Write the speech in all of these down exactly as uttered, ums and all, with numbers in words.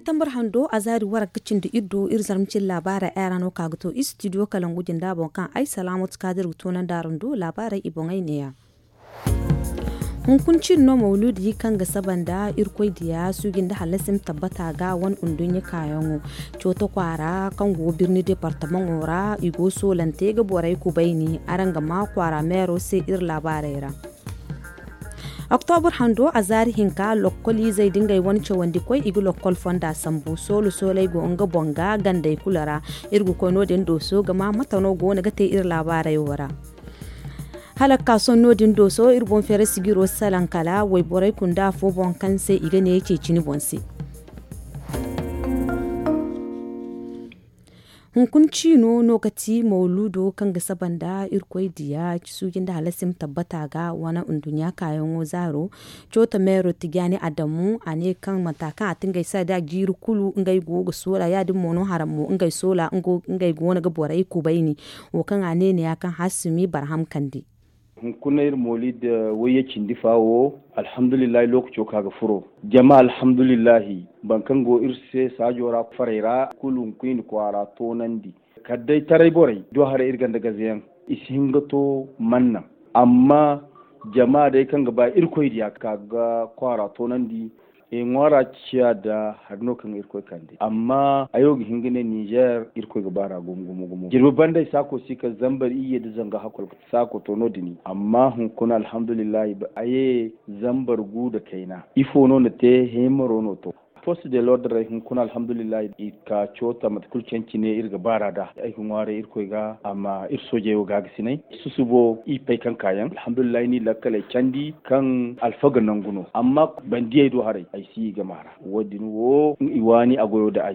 Septembre hando a zaari waranka cindi iri do iri zarma cine laabaarey ay ra no ka ga to istidiyo kalangu jinda boŋ kaŋ ay salaamatu kaadir ga toonandi araŋ do laabaarey i boŋey neeya. Hunkuna ciine no mawluudi kaŋ ga saba nda irkoy diya suuji nda hallasi ma tabbata ga wane nduɲɲa kaayaŋo cooto kwaara kaŋ go birni departamaŋo ra i go soolante ga borey kubayni araŋ ga ma kwaara meero se iri laabaarey ra. Oktobur hando a zaari hinka lokkol izey da ngey wane cawandikoy i ga lokkol fonda sambu soolo sooley go nga boŋ ga gandey kulu ra. Iri ga koy no- din dooso ga ma mate no go no ga te iri laabaarey wo ra. Hala ga ka sohõ no- din dooso iri boŋ feeray sijiro salaŋ kala wayborey kunda afo boŋ kaŋ se i ga ne ceecini boŋ se. Hunkuna ciino no ga ti mawluudo kaŋ ga saba nda irkoy diya suuji nda hallasi ma tabbata ga wane nduɲɲa kaayaŋo zaaro. Cooto meero tijaani adamu a ne kaŋ mata kaŋ a ti ngey saada jiiri kulu ngey go ga soola ya- din mo no haraŋ mo ngey soola ngey go no ga borey kubayni. Wo kaŋ a ne neeya kaŋ haasumi barham kande. Hunkuna iri moolid wayye cindi fa wo, alhamdulillahi lookaco ka ga furo. Jama alhamdulillahi boro kaŋ go iri se saajo ra farey ra kulu hunkuna i na kwaara toonandi. Kala day taray borey do haray iri ganda gazeyaŋ i si hin ga to manna. Amma jama day kaŋ ga ba irkoy diya ka ga kwaara toonandi. I ŋwaara ciya da hari no kaŋ irkoy kande amma ay wo ga hin ga ne ninzeer irkoy ga baar'a gumo gumo gumo jirbi banda ay saako si kala zambar iyye nda zanga hakkoy saako to no- din amma hunkuna alhamdulillahi ba a ye zambar gu nda kayna ifo no na te heemaro no to. Post de lordre hunkuna alhamdulillahi i ka coota mate kulu cancine iri ga baar'a nd'a. Ay ga ŋwaaray irkoy ga a ma iri soojey wo gaagasinay susubo i pay kaŋ kaayaŋ alhamdulillahi ni lakkaley candi kaŋ alfaga nangu no amma bandiyey do haray ay si i gama ra. Wo- din wo i waani a goyo nda ay.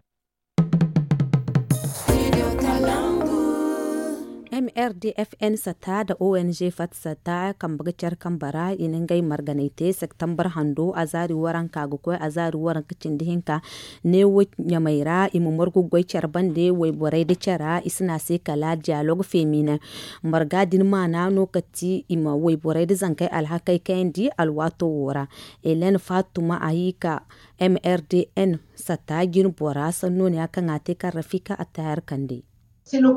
M R D F N satta nda O N G fatta satta kambe ga care kambe ra i na ngey marganay te septembre hando azaari waranka ga koy azaari waranka cindi hinka. Neewo ɲamey ra i ma margu ga goy care bande wayborey nda care i si ne a se kala diyalog feemine. Marga din maana no ka ti i ma wayborey nda zankey alhakey kayandi alwaato wo ra. Hélène fatuma a hiika M R D N satta jine bora sanno ne ya kaŋ a te kaŋ rafika attahar kande. Fondo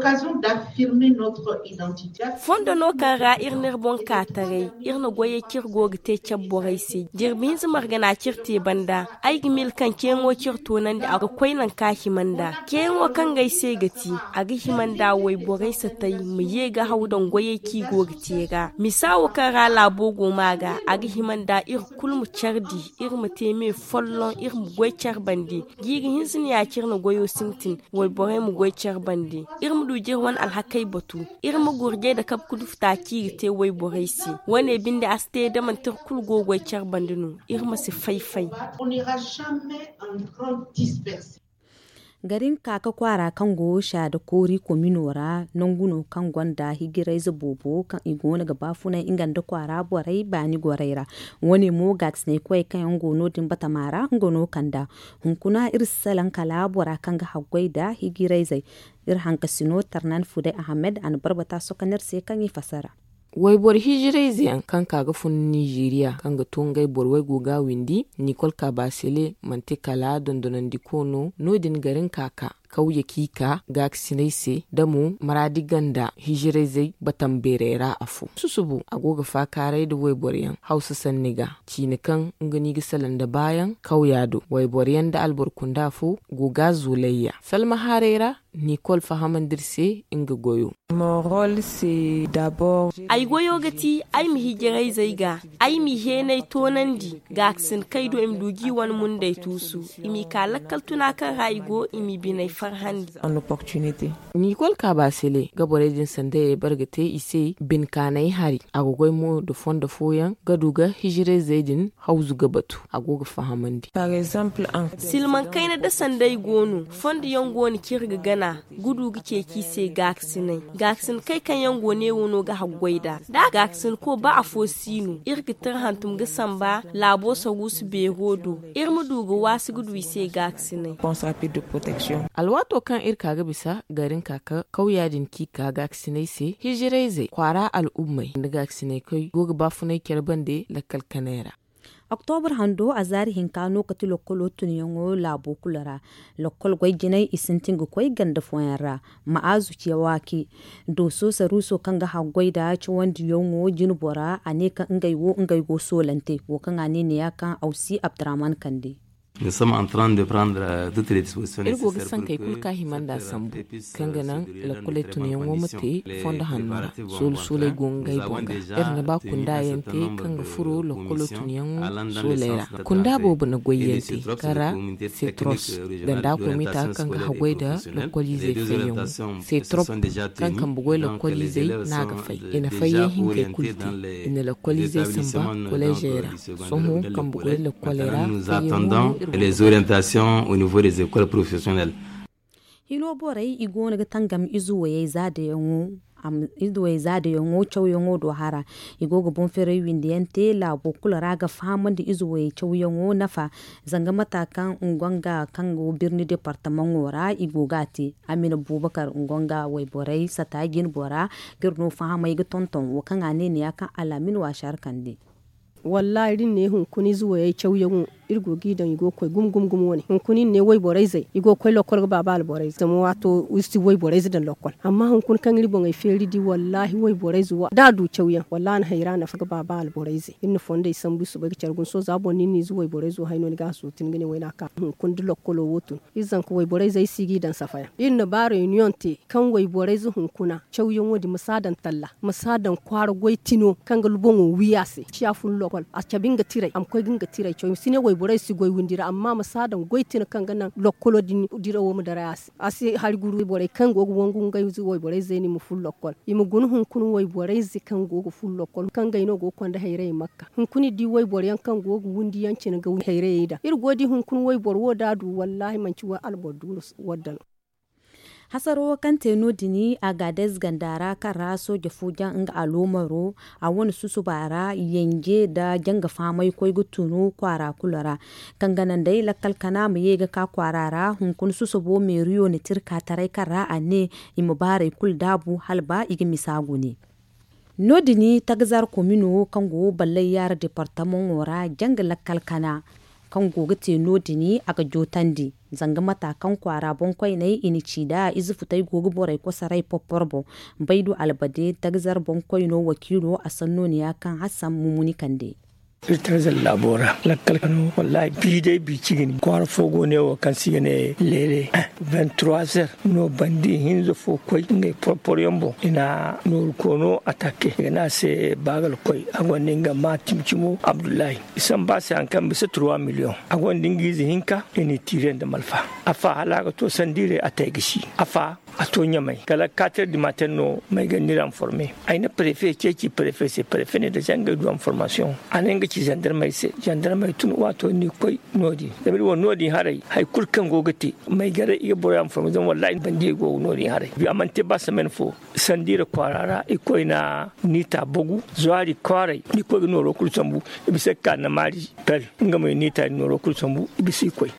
no kaŋ ra iri n'iri boŋ ka taray iri na goyey kaŋ iri go ga te care borey se jirbi hinza margana kaŋ iri te banda. Ay ga miila kaŋ ceeyaŋo kaŋ iri toonandi a ga koy nangu kaŋ a hima nd'a. Ceeyaŋo kaŋ ga ay se ga ti a ga hima nd'a wayborey satay ma ye ga haw daŋ goyey kaŋ i go ga te ra misa wo kaŋ ra laabo go ma ga a ga hima nd'a iri kulu ma care di iri ma te me folloŋ iri ma goy care bande. Jiiri hinza no ya kaŋ iri na goyo sintin wayborey ma goy care bande. Iri ma du ga iri wane alhakey batu. Iri ma gurjay nda kabe ga du futa kaŋ i ga te wayborey se. Wo- ne binde a si te da manti iri kulu go ga goy care bande no iri ma si fay-fay. Garin kaaka kwaara kaŋ go saada koori komino ra nangu no kaŋ gonda hijirayze boobo kaŋ i go no ga baafunay nga nda kwaara borey baani gorey ra. Wo- ne mo gaakasinay koyey kaŋ yaŋ go no- din batama ra nga no kand'a. Hunkuna iri si salaŋ kala bora kaŋ ga haggoy nda hijirayzey. Iri hankasino tarnan fuday ahamed a na barbata sokoney iri se kaŋ i fassara. Wayboro hijirayze yaŋ kaŋ ka ga fun nizeeriya kaŋ ga to ngey boro waygu ga windi nikol kabasele manti kala dondonandiko no no- din garin ka ka kawye kaŋ i ka gaakasiney se da mo maraadi ganda hijirayzey batam beerey ra afo susubu a go ga faakaaray nda wayboro yaŋ hawsa sanni ga ciine kaŋ nga no i ga salaŋ nda baayaŋ kawya do wayboro yaŋ nda alboro kunda fo go ga zuulayya salma haaray ra. Nikol fahamandi iri se nga goyo. Ay goyo ga ti ay ma hijirayzey ga ay m'i heenay toonandi gaakasin kaŋ ay do i ma du ga i wane mundey tuusu i m'i ka lakkal tuna kaŋ ra i go i m'i biney farhandi. Nikol kaabasele ga borey din sandayey bare ga te i se binkaanay hari a ga goy mo nda fondo fooyaŋ ga du ga hijirayzey din hawzu ga batu a go ga fahamandi. Silmaŋ kayna da sanday go no fondo yaŋ go no kaŋ iri ga gana gudu ga ceeci i se gaakasinay. Gaakasin kay kaŋ yaŋ go neewo no ga haggoy nd'a da gaakasinko ba afo si no iri ga tira hantum ga samba laabo saruusu beero do iri ma du ga waasi ga du i se gaakasinay. Alwaato kaŋ iri ka ga bisa garin ka ka kawya din kaŋ i ka gaakasinay se hijirayzey kwaara al'ummey nda gaakasinay koy go ga baafunay care bande lakkal kanay ra. Oktobur hando a zaari hinka no kati lokkolo tunyaŋo laabo kulu ra. Lokkol goy jinay i sintin ga koy ganda fooyaŋ ra. Ma'azu cewaaki dooso saruuso kaŋ ga haggoy nda cawandiyaŋo jinbora a ne kaŋ ngey wo ngey go soolante wo kaŋ a ne neeya kaŋ awsi abdurahman kande. Iri go ga sankey kulu ka hima nd'a sambu kaŋ ga naŋ lokkoley tunyaŋo ma te fondo hanno ra. Soolu sooley go ngey boŋ ga iri na ba kunda yaŋ te kaŋ ga furo lokkolo tunyaŋo sooley ra. Kunda boobo na goy yaŋ te kara setros ganda komita kaŋ ga haggoy nda lokkoliizey fayyaŋo. Setrop kaŋ kambe goy lokkoliizey no a ga fay. I na fayyaŋ hinkey kulu te. I na lokkoliizey samba kolleezey ra. Sohõ kambe goy lokkoley ra fayyaŋo no iri go ga fay. Hino borey i go no ga tangam ize wayey za dayaŋo. Ize wayey za dayaŋo cawyaŋo do hara. I go ga boŋ feeray windi yaŋ te laabo kulu ra ga fahamandi ize wayey cawyaŋo nafa. Zanga mata kaŋ nga nga kaŋ go birni departamaŋo ra i go ga a te. Amina bubakar nga nga wayborey sata jinbora ga iri no fahamay ga tonton wo kaŋ a ne neeya kaŋ alaamin waasi har kande. Wallaahi da iri ne hunkuna ize wayey cawyaŋo iri go g'i daŋ i go ga koy gumo gumo gumo wane hunkuna iri ne wayborey zey i go ga koy lokkol ga baaba alborey zey zama waato iri si wayborey zey daŋ lokkol. Amma hunkuna kaŋ iri boŋey feeri di wallaahi wayborey zey wo da a du cawyaŋ wallaahi a na hayra nafa ga baaba alborey zey iri na fondey sambu iri soobay ga care guna sohõ za boŋ no iri na ize wayborey zey wo hay no ni ga a sootin ga ne wayna ka hunkuna da lokkolo wo tun. Iri zanka wayborey zey si g'i daŋ safayaŋ iri na ba reyuniyoŋ te kaŋ wayborey zey hunkuna cawyaŋo din ma si a daŋ talla ma si a daŋ kwaara goy tino kaŋ ga boŋo wi a se ciya fun lokkol a cabe nga tiray a ma koy ga nga tiray caw i ma si ne wayborey si goy windi ra amma ma si a daŋ goy tino kaŋ ga naŋ lokkolo din dirawo ma daray a se a si hari guru borey kaŋ go ga wangu ngey wayborey zey no i ma fun lokkol i ma guna hunkuna wayborey zey kaŋ go ga fun lokkol kaŋ ngey no go ga konda hayray makka hunkuna i di wayboroyaŋ kaŋ go ga windi yaŋ cine ga hayrayey daŋ iri go ga di hunkuna wayboro wo da a du wallaahi manci alboro duuru wadda no. Hasaro wo kaŋ te no- din agaadez ganda ra kaŋ ra sooje fo jaŋ nga aloomaro a wane susuba ra yanje nda janga fahamay koy ga tunu kwaara kulu ra kaŋ ga naŋ day lakkal kana ma ye ga ka kwaara ra hunkuna susubo meeriyo na tirka taray kaŋ ra a ne i ma baarey kulu daabu hala ba i ga misa gune. No- din tagazar komino kaŋ go ballay yaara departamaŋo ra janga lakkal kana kaŋ go ga te no- din a ga jootandi zanga mata kaŋ kwaara boŋkoyney i na ci nd'a ize futey go ga borey kosoray porpor boŋ. Baydu albade tagazar boŋkoyno wakiilo a sanno ne ya kaŋ hassan mumuni kande. Iri tagazar laabo ra lakkal kano wallaahi bi day bi ci ga ni kwaara fo go ne wo kaŋ se i ga ne leele. Vingt trois heures no bandi hinza fo koy ngey porpor yaŋ boŋ i na nooru koono atake i ga ne a se baagal koy a gonda nga ma cimi cimo abdullahi. I samba a se hari kaŋ bisa trois million a gonda nga ize hinka i n'i tiire nda malfa. Afa hala a ga to sandiiray a te ay ga si afa a to ɲamay kala kater dimaten no may ga ni ranforme. Ay na prefe ceeci prefe se prefe ne da zangay du ranformasiyoŋ a ne nga ci zandarmay se zandarmay tun waato ni koy no- din zama iri wo no- din haray hari kulu kaŋ go ga te may garay i ga boro ranforme zama wallahi bandiyey go no- din haray a mana te ba semaine fo. Sandiira kwaara ra i koy na niita bagu zwaari kwaaray i koy ga nooro kulu sambu. I bisa ga ka na maari pel nga mo i niita i nooro kulu sambu i bisa i koy.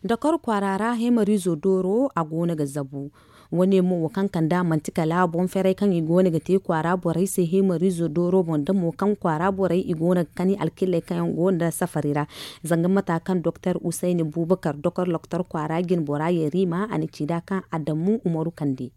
Dakar kwaara ra hemarizo dooro a go no ga zabu. Wane mo wo kaŋ kand'a manti kala boŋ feeray kaŋ i go no ga te kwaara borey se hemarizo dooro boŋ da mo kaŋ kwaara borey i go no ga kani alkilley kaŋ yaŋ go no nda safari ra. Zanga mata kaŋ doktor usayni bubakar doktor loktor kwaara jinbora yarima a na ci nd'a kaŋ adamu umaru kande.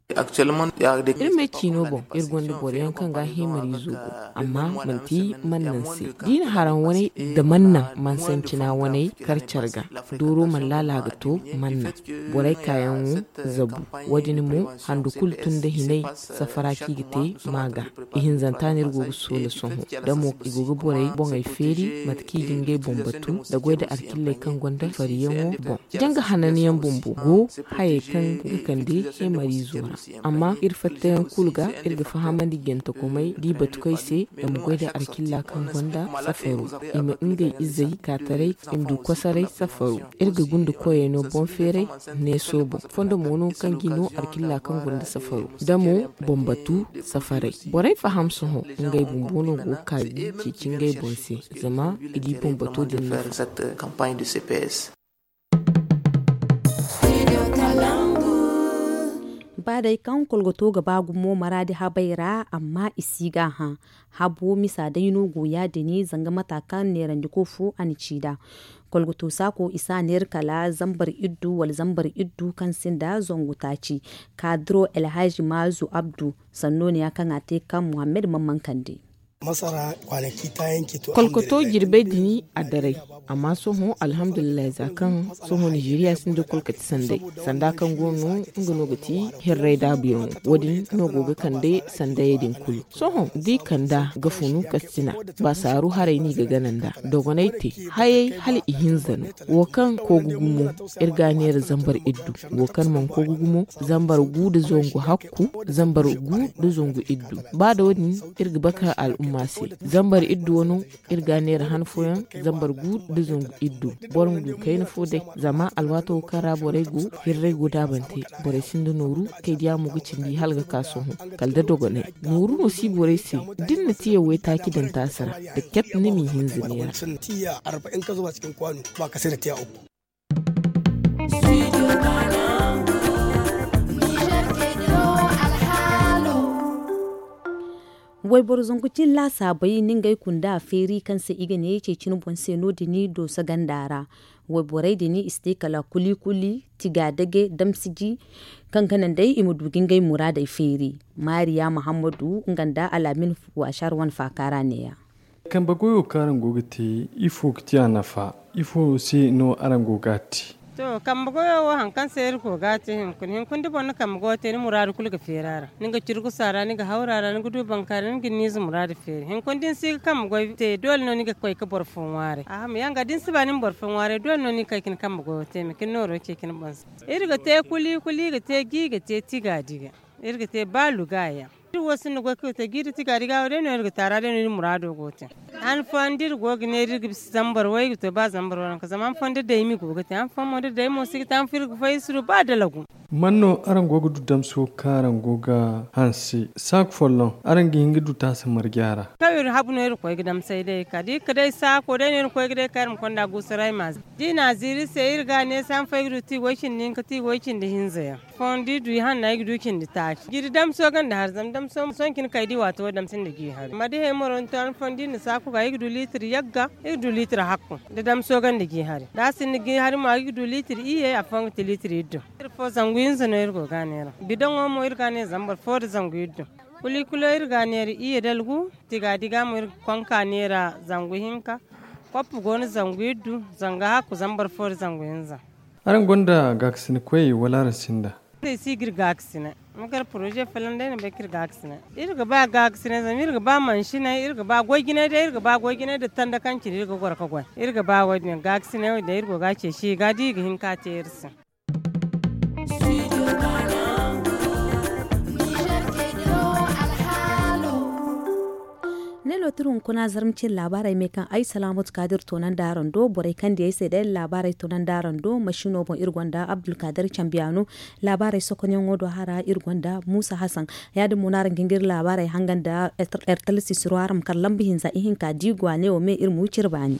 Iri me ciino boŋ iri gonda boro yaŋ kaŋ ga hemariizo go amma manti mannan se da i na haraŋ waney nda mannan mansancina waney kar care ga. Dooro mana laala ga to mannan borey kaayaŋo zabu. Wo- din mo handu kulu tun nda hinay safara kaŋ i ga te maaga. Ihinzanta no iri go ga soola sohõ da mo i go ga borey boŋey feeri mate kaŋ i ga ngey boŋ batu nda goy nda alkilley kaŋ gonda fariyaŋo boŋ. Janga hananyaŋ bumbo go hayey kaŋ ga kande hemariizo ra. Amma iri fattayaŋ kulu ga iri ga fahamandi jantakomey da i batukoy se da ma goy nda alkilla kaŋ gonda safaro. I ma ngey izey kaataray i ma du kosoray safaro. Iri ga gunda koyey no boŋ feeray neeso boŋ fondo mo no kaŋ ga i no alkilla kaŋ gonda safaro da mo boŋ batu safaray. Borey faham sohõ ngey bumbo no go ga kaabi ceeci ngey boŋ se zama i di boŋ bato din nafa. Ba day kaŋ kolgoto ga ba gumo maraadi habey ra amma i si ga a hã. Habo misa day no go ya- din zanga mata kaŋ neerandiko fo a na ci nd'a. Kolgoto saako i si a neera kala zambar iddu wala zambar iddu kaŋ sinda zangu taaci. Kaadiro elhaji maazu abdu sanno ne ya kaŋ a te kaŋ muhammed mamman kande. Kolkoto jirbey din a daray. Amma sohõ alhamdulillahi za kaŋ sohõ nizeriya sinda kolkati sanday sanda kaŋ go no nga no ga ti hirray daabuyaŋo. Wo- din no go ga kande sandayey din kulu. Sohõ da i kanda ga funu kastina ba saaru haray no i ga gana nd'a. Dogonay te hayey hala i hinza no. Wo kaŋ koogu gumo iri ga a neera zambar iddu. Wo kaŋ mana koogu gumo zambar gu nda zangu hakku zambar gu nda zangu iddu. Ba da wo- din iri ga bakar al'umma se. Zambar iddu wano iri ga a neera han fooyaŋ zambar gu nda zangu iddu. Boro ma du kayna fo day zama alwaato kaŋ ra borey go hirray go daabante. Borey sinda nooru kay diya mo ga cindi hala ga ka sohõ kala da dogonay. Nooru no si borey se da ni na tiya waytaaci daŋ taasi ra da ket ni m'i hinza neera. Wayboro zangu cin laasaabey na ngey kunda feeri kaŋ se i ga ne ceeci ni boŋ se no- din dooso ganda ra. Wayborey din i si te kala kuli kuli tiga dage damsiji kaŋ ga naŋ day i ma du ga ngey muraadey feeri. Maariya muhammadu nga nda alaamin waasar wane faaka ra neeya. Kambe goyo kaŋ araŋ go ga te ifo ga ti a nafa? Ifo se no araŋ go ga a te? To kambe goyo wo hari kaŋ se iri go ga a te hinkuna hinkuna da boro na kambe goyo te ni muraadu kulu ga feeri a ra. Ni ga curkusu a ra ni ga hawru a ra ni ga du bankaari ni ga ni nin ize muraadu feeri hinkuna da ni si ga kambe goyo te doole no ni ga koy ga boro fo ŋwaaray a ma yaŋ ga da ni si ba ni ma boro fo ŋwaaray doole no ni ga kay ga ni kambe goyo te ma ga ni nooro ceeci ni boŋ se. Iri ga te kuli kuli ga te gi ga te tiga diga. Iri ga te ba luga yaŋ. Iri wo sinda goy kaŋ ga te jiiri tiga diga wo day no iri ga taara day no iri muraado go ga te. Han fooyaŋ da iri go ga neera iri ga bisa zambar way ga to ba zambar waranka zama han fooyaŋ da day ma go ga te han fooyaŋ mo da day mo si ga te han fooyaŋ iri ga fay iri si du ba dalagu. Man no araŋ go ga du damso kaŋ araŋ go ga hanse saako folloŋ araŋ ga hin ga du taasa marje a ra? Kaŋ iri habu no iri ga koy ga damsay day ka da iri ga day saako day no iri ga koy ga day ka iri ma konda guusaray ma ziiri da i na a ziiri iri se iri ga a ne se han fooyaŋ ay ga du ti way cindi hinka ti way cindi hinza yaŋ. Fooyaŋ da i du i hanna i ga du cindi taaci jiiri damso ganda hari zama damso sohõ cine kay da i waati wo damso nda gi hari amma da i hay moro ni to han fooyaŋ da i na saaku ga i ga du liitir yagga i ga du liitir hakku da damso ganda gi hari da a sinda gi hari mo i ga du liitir iyye afooyaŋ ga ti liitir iddu. Iri fo zangu hinza no iri go ga a neera bidoŋo mo iri ga a neera zambar fo nda zangu iddu. Kuli kulo iri ga a neera iyye dalgu tiga diga mo iri ga konka neera zangu hinka. Koppu go no zangu iddu zanga hakku zambar fo nda zangu hinza. Araŋ gonda gaakasina koyey wala araŋ sinda? Iri si ga iri gaakasina. Ma kar poroze folloŋ day na bay kaŋ iri gaakasina. Iri ga ba gaakasina zama iri ga ba mansinay iri ga ba goy jinay day iri ga ba goy jinay nda tanda kaŋ cine iri ga goro ga goy. Iri ga ba wo- din gaakasina wo- din day iri go ga a ceeci i ga da i ga hin ka te iri se. Ne no tira hunkuna zarma cine laabaarey me kaŋ ay salaamatu kaadir toonandi araŋ do borey kaŋ di ay se day laabaarey toonandi araŋ do masiino boŋ iri gonda abdulkaadir cambiyaano. Laabaarey sokonyaŋo do hara iri gonda muusa hasan. Ya- din mo no araŋ ga hin ga iri laabaarey hangan nda ertala sisiro araŋ ma kar lamba hinza ihinka da i go a ne wo me iri ma wi cire baani.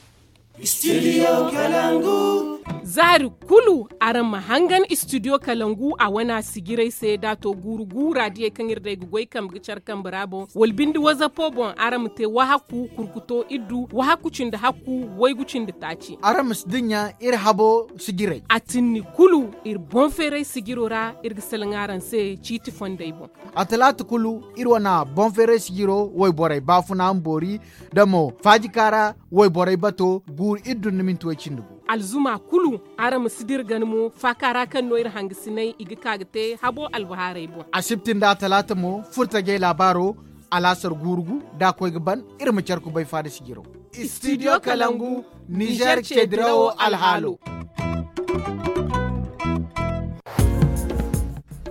Zaari kulu araŋ ma hangan istidiyo kalangu a wane a sijirey se da a to guuru guura diyey kaŋ iri day ga goy kambe ga care kambe ra boŋ wala binde wazapo boŋ araŋ ma te wahakku kurkuto iddu wahakku cindi hakku waygu cindi taaci. Araŋ ma si dinya iri habo sijirey a tinni kulu iri boŋ feeray sijiro ra iri ga salaŋ araŋ se ciiti fondey boŋ. A talaata kulu iri wane boŋ feeray sijiro wayborey baafuna ma boori da mo faajika ra wayborey bato guuru iddu nda minti way cindi gu. Alzuma kulu araŋ ma si dira gana mo faaka ra kaŋ no iri hangasiney i ga ka ga te habo albahaarey boŋ. Asibti nda atalaata mo furtajey laabaaro alaasar guuru gu da a koy ga ban iri ma care kubay faada sijiro. Istidiyo kalangu nizer cedirawo alhaalo.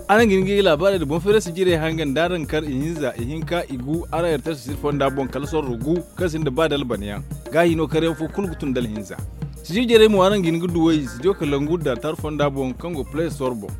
Araŋ ga hin ga i laabaarey nda boŋ feeray sijirey hangan da araŋ kar ihinza ihinka igu araŋ ertara sisir fonda boŋ kala sorro gu kaŋ sinda ba da albanyaŋ. Gaahi no karyaŋ fo kulu ga tun da alhinza. Sijir jarey mo araŋ ga hin ga duw'ey studio kalangu nda tar fonda boŋ kaŋ go play store boŋ.